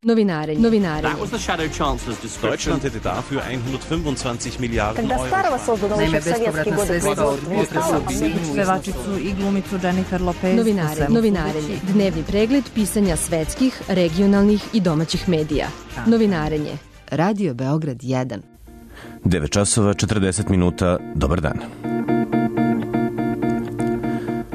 Novinarenje. Deutschland hätte dafür 125 Milijarden Euro. Naime, bespovratna sredstva od pevačicu i glumicu Jennifer Lopez. Novinarenje. Dnevni pregled pisanja svetskih, regionalnih i domaćih medija. Novinarenje. Radio Beograd 1. 9 časova 40 minuta. Dobar dan.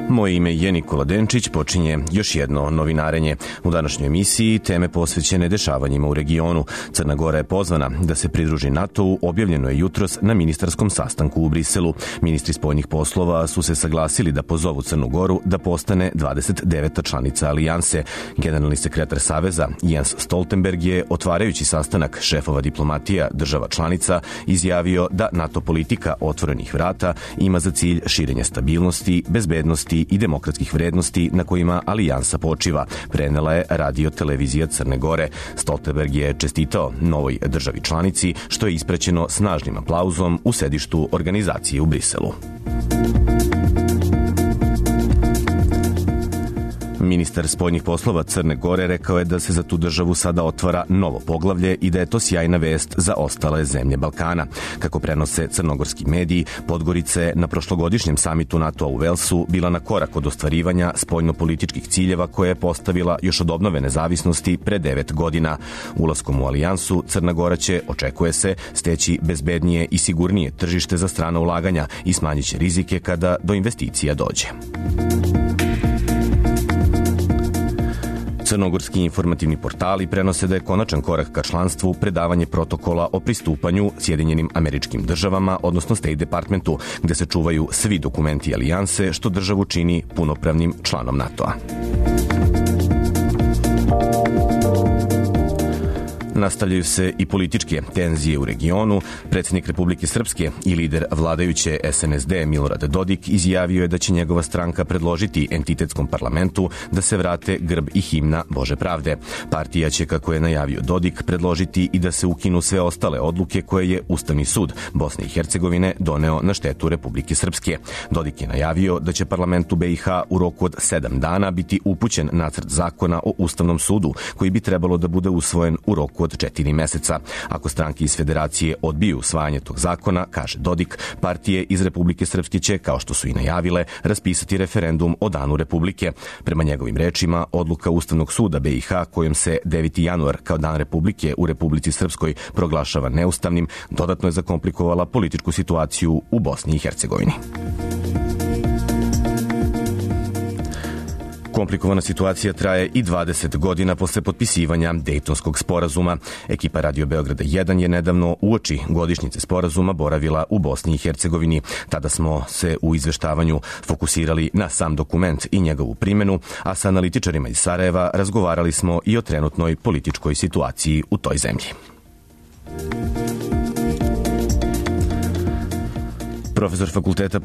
Moje ime je Nikola Denčić, počinje još jedno novinarenje. U današnjoj emisiji teme posvećene dešavanjima u regionu. Crna Gora je pozvana da se pridruži NATO-u, objavljeno je jutros na ministarskom sastanku u Briselu. Ministri spoljnih poslova su se saglasili da pozovu Crnu Goru da postane 29. članica alijanse. Generalni sekretar Saveza Jens Stoltenberg je, otvarajući sastanak šefova diplomatija država članica, izjavio da NATO politika otvorenih vrata ima za cilj širenje stabilnosti, bezbednosti i demokratskih vrednosti na kojima alijansa počiva, prenela je Radio televizija Crne Gore. Stoltenberg je čestitao novoj državi članici, što je ispraćeno snažnim aplauzom u sedištu organizacije u Briselu. Ministar spoljnih poslova Crne Gore rekao je da se za tu državu sada otvara novo poglavlje i da je to sjajna vest za ostale zemlje Balkana. Kako prenose crnogorski mediji, Podgorica je na prošlogodišnjem samitu NATO-a u Velsu bila na korak od ostvarivanja spoljnopolitičkih ciljeva koje je postavila još od obnove nezavisnosti pre 9 godina. Ulaskom u alijansu, Crna Gora će, očekuje se, steći bezbednije i sigurnije tržište za strana ulaganja i smanjit će rizike kada do investicija dođe. Crnogorski informativni portali prenose da je konačan korak ka članstvu predavanje protokola o pristupanju Sjedinjenim Američkim Državama, odnosno State Departmentu, gde se čuvaju svi dokumenti alijanse, što državu čini punopravnim članom NATO-a. Nastavljaju se i političke tenzije u regionu. Predsjednik Republike Srpske i lider vladajuće SNSD Milorad Dodik izjavio je da će njegova stranka predložiti entitetskom parlamentu da se vrate grb i himna Bože pravde. Partija će, kako je najavio Dodik, predložiti i da se ukinu sve ostale odluke koje je Ustavni sud Bosne i Hercegovine doneo na štetu Republike Srpske. Dodik je najavio da će parlamentu BiH u roku od 7 dana biti upućen nacrt zakona o Ustavnom sudu, koji bi trebalo da bude usvojen u roku od 4 meseca. Ako stranke iz federacije odbiju usvajanje tog zakona, kaže Dodik, partije iz Republike Srpske će, kao što su i najavile, raspisati referendum o danu Republike. Prema njegovim rečima, odluka Ustavnog suda BiH kojom se 9. januar kao dan Republike u Republici Srpskoj proglašava neustavnim, dodatno je zakomplikovala političku situaciju u Bosni i Hercegovini. Komplikovana situacija traje i 20 godina posle potpisivanja Dejtonskog sporazuma. Ekipa Radio Beograda 1 je nedavno uoči godišnjice sporazuma boravila u Bosni i Hercegovini. Tada smo se u izveštavanju fokusirali na sam dokument i njegovu primjenu, a sa analitičarima iz Sarajeva razgovarali smo i o trenutnoj političkoj situaciji u toj zemlji. Profesor Fakulteta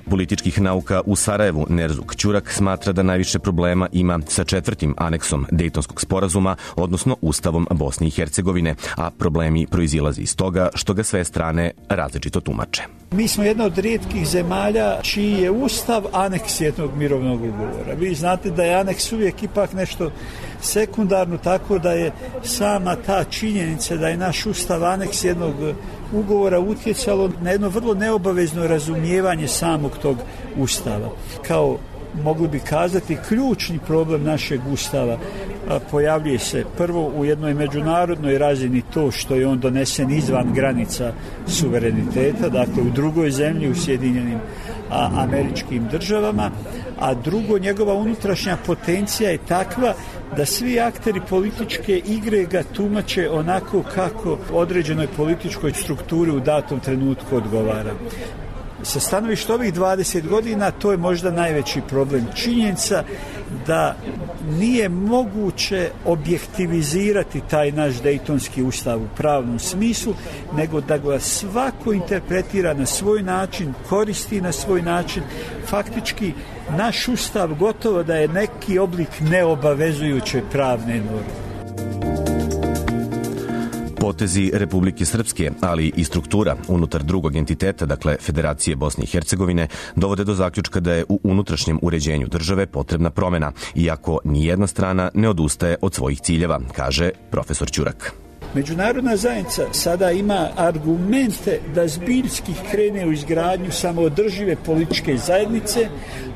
političkih nauka u Sarajevu, Nerzuk Ćurak, smatra da najviše problema ima sa 4. aneksom Dejtonskog sporazuma, odnosno Ustavom Bosne i Hercegovine, a problemi proizilaze iz toga što ga sve strane različito tumače. Mi smo jedna od rijetkih zemalja čiji je Ustav aneks jednog mirovnog ugovora. Vi znate da je aneks uvijek ipak nešto sekundarno, tako da je sama ta činjenica da je naš Ustav aneks jednog ugovora utjecalo na jedno vrlo neobavezno razumijevanje samog tog Ustava. Kao, mogli bi kazati, ključni problem našeg Ustava pojavljuje se prvo u jednoj međunarodnoj razini, to što je on donesen izvan granica suvereniteta, dakle u drugoj zemlji, u Sjedinjenim Američkim Državama, a drugo, njegova unutrašnja potencija je takva da svi akteri političke igre ga tumače onako kako određenoj političkoj strukturi u datom trenutku odgovara. Sa stanovišta ovih 20 godina to je možda najveći problem. Činjenica da nije moguće objektivizirati taj naš Dejtonski ustav u pravnom smislu, nego da ga svako interpretira na svoj način, koristi na svoj način. Faktički naš ustav gotovo da je neki oblik neobavezujuće pravne norme. Potezi Republike Srpske, ali i struktura unutar drugog entiteta, dakle Federacije Bosne i Hercegovine, dovode do zaključka da je u unutrašnjem uređenju države potrebna promena, iako nijedna strana ne odustaje od svojih ciljeva, kaže profesor Ćurak. Međunarodna zajednica sada ima argumente da zbiljski krene u izgradnju samoodržive političke zajednice,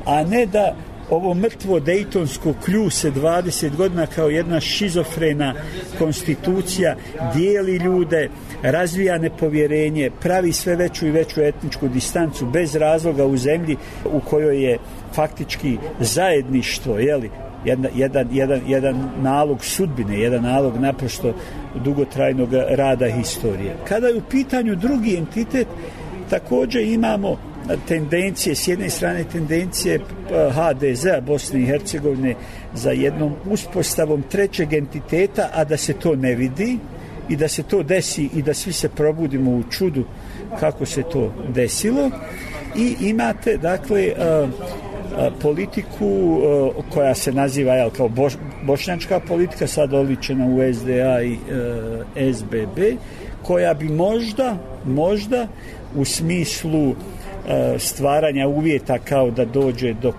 a ne da ovo mrtvo dejtonsko kljuse 20 godina kao jedna šizofrena konstitucija dijeli ljude, razvija nepovjerenje, pravi sve veću i veću etničku distancu bez razloga u zemlji u kojoj je faktički zajedništvo, jedan nalog sudbine, jedan nalog naprosto dugotrajnog rada historije. Kada je u pitanju drugi entitet, također imamo tendencije, s jedne strane tendencije HDZ-a Bosne i Hercegovine za jednom uspostavom trećeg entiteta, a da se to ne vidi i da se to desi i da svi se probudimo u čudu kako se to desilo. I imate, dakle, politiku koja se naziva kao bošnjačka politika, sad oličena u SDA i SBB, koja bi možda u smislu stvaranja uvjeta kao da dođe do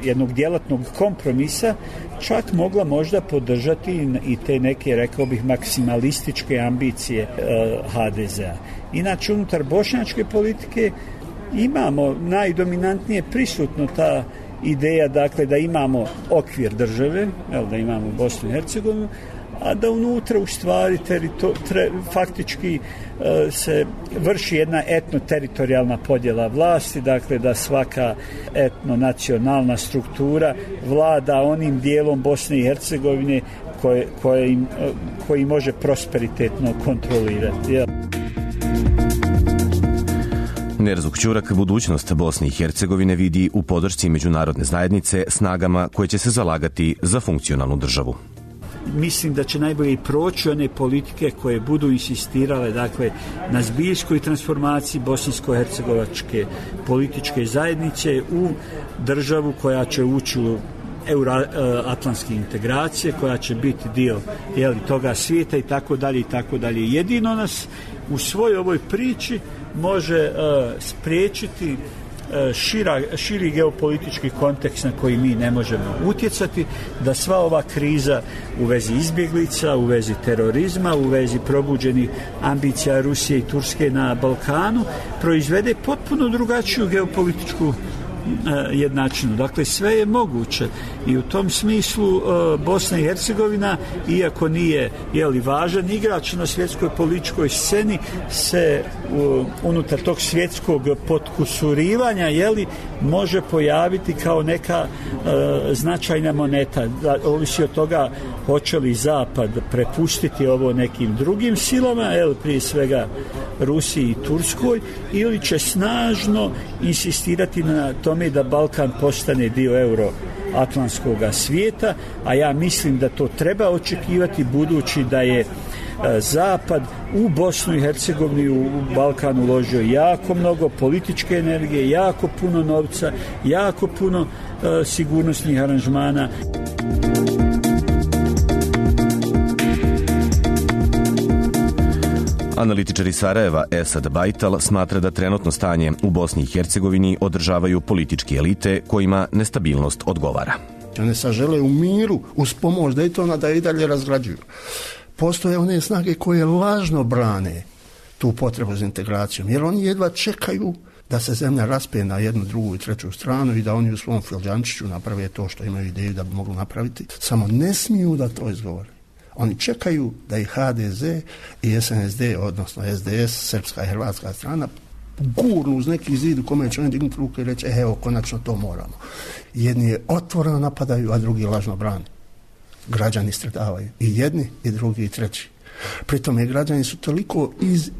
jednog djelatnog kompromisa čak mogla možda podržati i te neke, rekao bih, maksimalističke ambicije HDZ-a. Inače, unutar bošnjačke politike imamo najdominantnije prisutno ta ideja, dakle, da imamo okvir države, da imamo Bosnu i Hercegovinu, a da unutra u stvari faktički se vrši jedna etno-teritorijalna podjela vlasti, dakle da svaka etno-nacionalna struktura vlada onim dijelom Bosne i Hercegovine koji može prosperitetno kontrolirati. Nerzuk Ćurak budućnost Bosne i Hercegovine vidi u podršci međunarodne zajednice snagama koje će se zalagati za funkcionalnu državu. Mislim da će najbolje proći one politike koje budu insistirale, dakle, na zbiljskoj transformaciji bosansko-hercegovačke političke zajednice u državu koja će ući u euroatlantske integracije, koja će biti dio toga svijeta i tako dalje i tako dalje. Jedino nas u svojoj ovoj priči može spriječiti širi geopolitički kontekst na koji mi ne možemo utjecati, da sva ova kriza u vezi izbjeglica, u vezi terorizma, u vezi probuđenih ambicija Rusije i Turske na Balkanu proizvede potpuno drugačiju geopolitičku jednačinu. Dakle, sve je moguće i u tom smislu Bosna i Hercegovina, iako nije važan igrač na svjetskoj političkoj sceni, se unutar tog svjetskog potkusurivanja može pojaviti kao neka značajna moneta. Ovisi od toga hoće li Zapad prepustiti ovo nekim drugim silama, prije svega Rusiji i Turskoj, ili će snažno insistirati na tome da Balkan postane dio euroatlantskog svijeta, a ja mislim da to treba očekivati budući da je Zapad u Bosnu i Hercegovini, u Balkan uložio jako mnogo političke energije, jako puno novca, jako puno sigurnosnih aranžmana. Analitičar iz Sarajeva Esad Bajtal smatra da trenutno stanje u Bosni i Hercegovini održavaju političke elite kojima nestabilnost odgovara. One sad žele u miru, uz pomoć Dejtona, da i dalje razgrađuju. Postoje one snage koje lažno brane tu potrebu za integracijom, jer oni jedva čekaju da se zemlja raspe na jednu, drugu i treću stranu i da oni u svom filđančiću naprave to što imaju ideju da bi mogli napraviti. Samo ne smiju da to izgovore. Oni čekaju da i HDZ i SNSD, odnosno SDS, srpska i hrvatska strana, gurnu uz neki zid u kome će oni dignuti ruke i reći evo, konačno to moramo. Jedni je otvoreno napadaju, a drugi lažno brani. Građani stradavaju. I jedni, i drugi, i treći. Pritom građani su toliko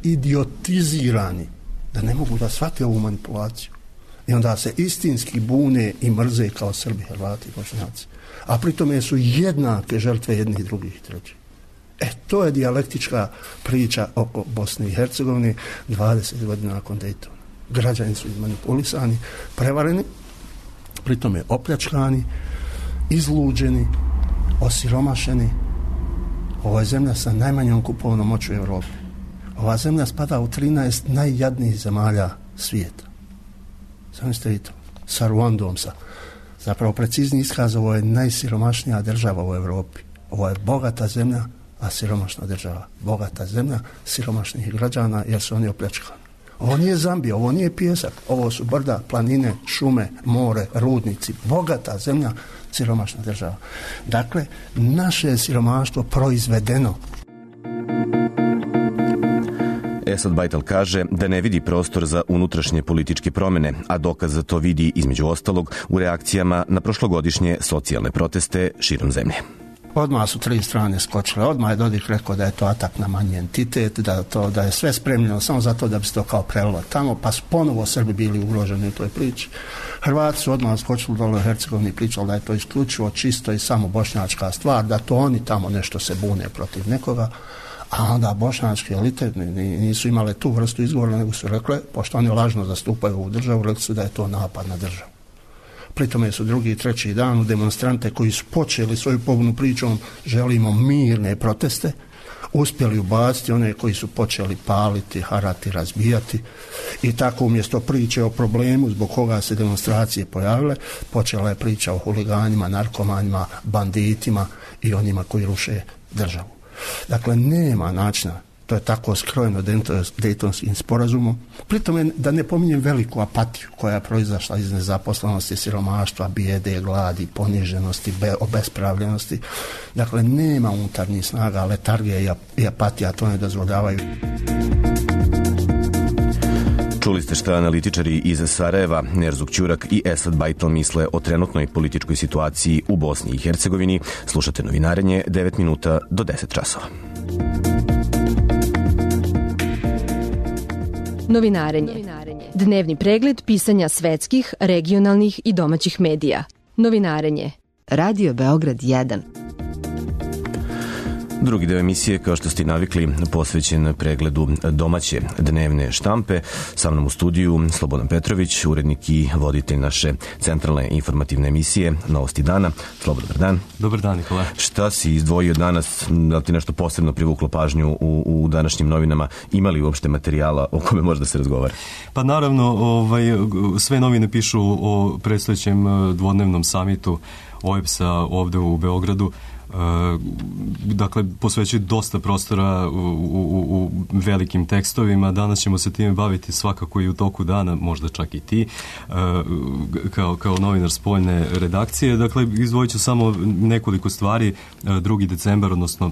idiotizirani da ne mogu da shvate ovu manipulaciju. I onda se istinski bune i mrze kao Srbi, Hrvati i Bošnjaci. A pritome su jednake žrtve jednih, drugih i trećih. To je dijalektička priča oko Bosne i Hercegovine 20 godina nakon Dejtona. Građani su manipulisani, prevareni, pritome opljačkani, izluđeni, osiromašeni, Ovo je zemlja sa najmanjom kupovnom moći u Europi. Ova zemlja spada u 13 najjadnijih zemalja svijeta. Zamislite vi to. Sa Ruandom, zapravo precizni iskaz, ovo je najsiromašnija država u Europi. Ovo je bogata zemlja, a siromašna država. Bogata zemlja siromašnih građana jer su oni opljačkani. Ovo nije Zambija, ovo nije pijesak, ovo su brda, planine, šume, more, rudnici. Bogata zemlja, siromašna država. Dakle, naše je siromaštvo proizvedeno. Esad Bajtal kaže da ne vidi prostor za unutrašnje političke promjene, a dokaz za to vidi između ostalog u reakcijama na prošlogodišnje socijalne proteste širom zemlje. Odmah su 3 strane skočile, odmah je Dodik rekao da je to atak na manji entitet, da je sve spremljeno samo zato da bi se to kao prelilo tamo, pa su ponovo Srbi bili ugroženi u toj priči. Hrvati su odmah skočili dole u Hercegovini i pričali da je to isključivo čisto i samo bošnjačka stvar, da to oni tamo nešto se bune protiv nekoga, a onda bošnjačke elite nisu imale tu vrstu izgovora, nego su rekle, pošto oni lažno zastupaju ovu državu, rekli su da je to napad na državu. Pritome su drugi i treći dan u demonstrante koji su počeli svoju pobunu pričom želimo mirne proteste, uspjeli ubaciti one koji su počeli paliti, harati, razbijati i tako umjesto priče o problemu zbog koga se demonstracije pojavile, počela je priča o huliganima, narkomanima, banditima i onima koji ruše državu. Dakle, nema načina, to je tako skrojeno Dejtonskim sporazumom. Pritom da ne pominjem veliku apatiju koja je proizašla iz nezaposlenosti, siromaštva, bijede, gladi, poniženosti, obespravljenosti. Dakle, nema unutarnjih snaga, letargija i apatija to ne dozvoljavaju. Čuli ste šta analitičari iz Sarajeva, Nerzuk Ćurak i Esad Bajtal misle o trenutnoj političkoj situaciji u Bosni i Hercegovini. Slušate Novinarenje 9 minuta do 10 časova. Novinarenje. Dnevni pregled pisanja svetskih, regionalnih i domaćih medija. Novinarenje. Radio Beograd 1. Drugi deo emisije, kao što ste navikli, posvećen pregledu domaće dnevne štampe. Sa mnom u studiju Slobodan Petrović, urednik i voditelj naše centralne informativne emisije Novosti dana. Slobodan, dobar dan. Dobar dan, Nikola. Šta si izdvojio danas? Da li ti nešto posebno privuklo pažnju u današnjim novinama? Ima li uopšte materijala o kome može da se razgovara? Pa naravno, sve novine pišu o predstojećem dvodnevnom samitu OEBS-a ovde u Beogradu. Dakle, posvećuju dosta prostora u velikim tekstovima. Danas ćemo se time baviti svakako i u toku dana, možda čak i ti, kao novinar spoljne redakcije. Dakle, izdvojit ću samo nekoliko stvari. 2. decembar, odnosno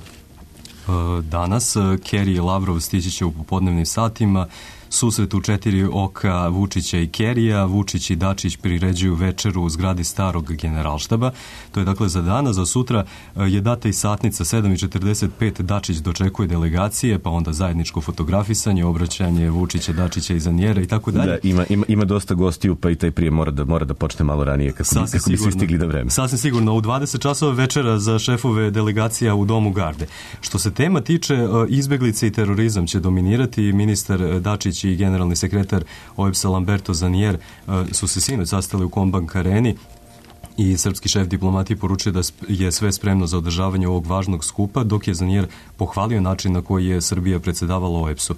danas, Kerry i Lavrov stići će u popodnevnim satima. Susret u 4 oka Vučića i Kerija. Vučić i Dačić priređuju večeru u zgradi starog generalštaba. To je dakle za dana. Za sutra je data i satnica 7:45. Dačić dočekuje delegacije, pa onda zajedničko fotografisanje, obraćanje Vučića, Dačića i Zanjera i tako dalje. Da, ima dosta gostiju, pa i taj prije mora da počne malo ranije kako bi svi stigli na vreme. Sasvim sigurno. U 20 časova večera za šefove delegacija u Domu Garde. Što se tema tiče, izbeglice i terorizam će dominirati. Ministar Dačić i generalni sekretar OEBS-a Lamberto Zanjer su se sinoć sastali u Kombank areni i srpski šef diplomatije poručuje da je sve spremno za održavanje ovog važnog skupa, dok je Zanjer pohvalio način na koji je Srbija predsedavala OEBS-u.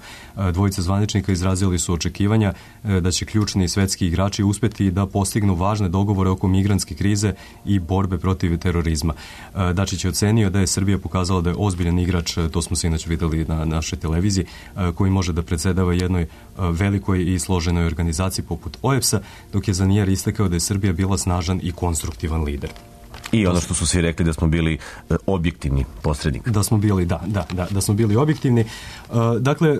Dvojica zvaničnika izrazili su očekivanja da će ključni svetski igrači uspeti da postignu važne dogovore oko migrantske krize i borbe protiv terorizma. Dačić je ocenio da je Srbija pokazala da je ozbiljan igrač, to smo se inače videli na našoj televiziji, koji može da predsedava jednoj velikoj i složenoj organizaciji poput OEBS-a, dok je Zanjer istakao da je Srbija bila snažan i konstruktivan lider. I ono što su svi rekli da smo bili objektivni posrednik. Da smo bili, da smo bili objektivni. Dakle,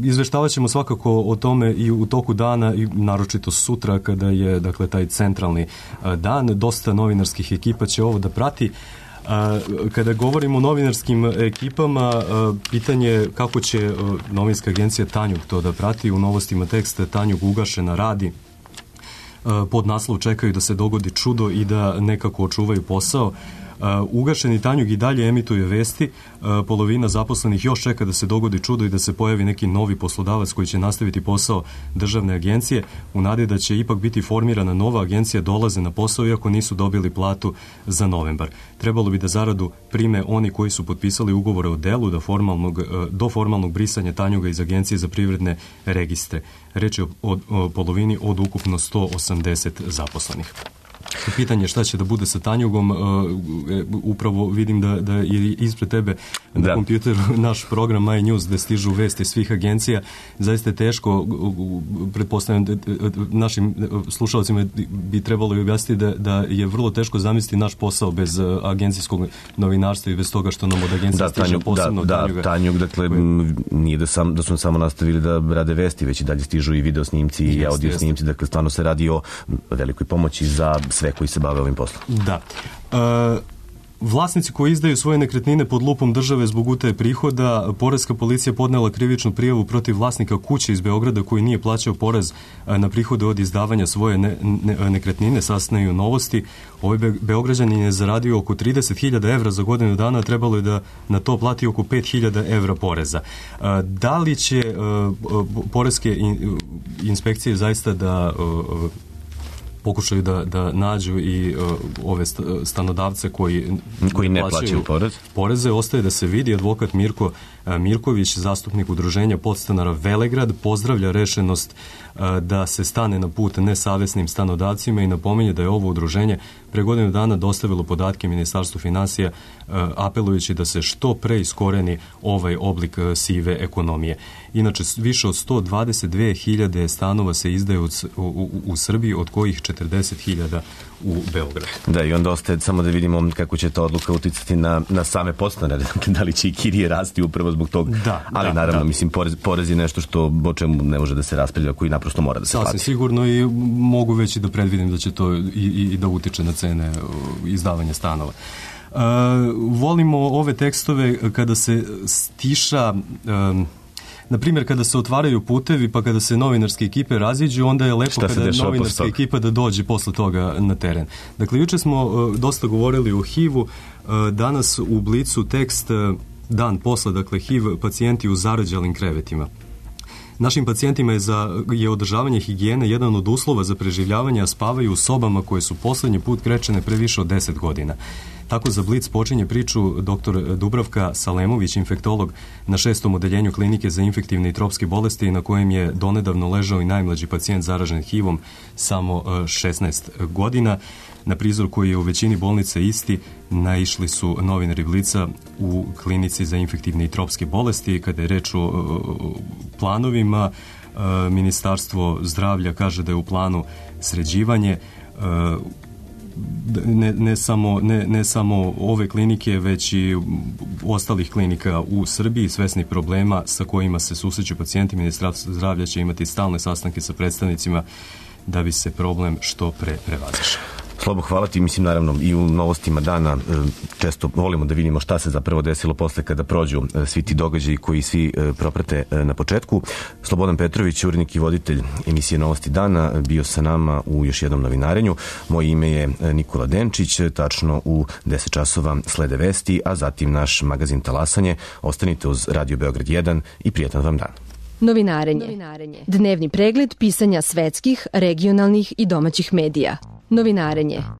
izveštavat ćemo svakako o tome i u toku dana i naročito sutra kada je dakle taj centralni dan. Dosta novinarskih ekipa će ovo da prati. Kada govorimo o novinarskim ekipama, pitanje je kako će novinska agencija Tanjug to da prati. U novostima teksta Tanjug ugašena radi. Pod naslov čekaju da se dogodi čudo i da nekako očuvaju posao. Ugašeni Tanjug i dalje emituje vesti, polovina zaposlenih još čeka da se dogodi čudo i da se pojavi neki novi poslodavac koji će nastaviti posao državne agencije, u nadi da će ipak biti formirana nova agencija, dolaze na posao iako nisu dobili platu za novembar. Trebalo bi da zaradu prime oni koji su potpisali ugovore o delu do formalnog brisanja Tanjuga iz Agencije za privredne registre. Reč je o polovini od ukupno 180 zaposlenih. Pitanje šta će da bude sa Tanjugom, upravo vidim da je ispred tebe na kompjuteru naš program My News gde stižu vesti svih agencija. Zaista je teško, pretpostavljam našim slušalcima bi trebalo i objasniti da je vrlo teško zamisliti naš posao bez agencijskog novinarstva i bez toga što nam od agencija stiže posebno Tanjuga. Tanjug, dakle, nije da su samo nastavili da rade vesti, već i dalje stižu i video snimci i audio snimci, dakle stvarno se radi o velikoj pomoći za sve koji se bave ovim poslom. Da. Vlasnici koji izdaju svoje nekretnine pod lupom države zbog utaje prihoda, poreska policija podnela krivičnu prijavu protiv vlasnika kuće iz Beograda koji nije plaćao porez na prihode od izdavanja svoje nekretnine, saznaju Novosti. Ovaj Beograđanin je zaradio oko 30.000 evra za godinu dana, trebalo je da na to plati oko 5.000 evra poreza. Da li će poreske inspekcije zaista da pokušaju da nađu i ove stanodavce koji ne plaćaju poreze, ostaje da se vidi. Advokat Mirko Mirković, zastupnik udruženja podstanara Velegrad, pozdravlja rešenost da se stane na put nesavesnim stanodavcima i napominje da je ovo udruženje pre godinu dana dostavilo podatke Ministarstvu finansija apelujući da se što pre iskoreni ovaj oblik sive ekonomije. Inače, više od 122.000 stanova se izdaje u Srbiji, od kojih 40.000 u Beogradu. Da, i onda ostaje samo da vidimo kako će ta odluka uticati na same podstanare, da li će i kirije rasti upravo zbog tog, ali naravno, mislim, porez je nešto o čemu ne može da se raspravlja, koji naprosto mora da se plati. Sasvim sigurno, i mogu već i da predvidim da će to i da utiče na cene izdavanja stanova. Volimo ove tekstove kada se stiša, na primjer, kada se otvaraju putevi, pa kada se novinarske ekipe raziđu, onda je lepo kada je novinarska ekipa da dođe posle toga na teren. Dakle, juče smo dosta govorili o HIV-u, danas u Blicu tekst dan posle, dakle, HIV pacijenti u zarađalim krevetima. Našim pacijentima je održavanje higijene jedan od uslova za preživljavanje, a spavaju u sobama koje su poslednji put krečene pre više od 10 godina. Tako za Blic počinje priču dr. Dubravka Salemović, infektolog na 6. odeljenju klinike za infektivne i tropske bolesti, na kojem je donedavno ležao i najmlađi pacijent zaražen HIV-om, samo 16 godina. Na prizor koji je u većini bolnica isti, naišli su novinari Blica u klinici za infektivne i tropske bolesti. Kada je reč o planovima, Ministarstvo zdravlja kaže da je u planu sređivanje ne samo ove klinike, već i ostalih klinika u Srbiji, svesni problema sa kojima se susreću pacijenti. Ministarstvo zdravlja će imati stalne sastanke sa predstavnicima da bi se problem što pre prevazišao. Slobo, hvala ti. Mislim, naravno, i u novostima dana često volimo da vidimo šta se zapravo desilo posle kada prođu svi ti događaji koji svi proprate na početku. Slobodan Petrović, urednik i voditelj emisije Novosti dana, bio sa nama u još jednom novinarenju. Moje ime je Nikola Denčić. Tačno u 10 časova slede vesti, a zatim naš magazin Talasanje. Ostanite uz Radio Beograd 1 i prijatan vam dan. Novinarenje. Dnevni pregled pisanja svetskih, regionalnih i domaćih medija. Novinarenje.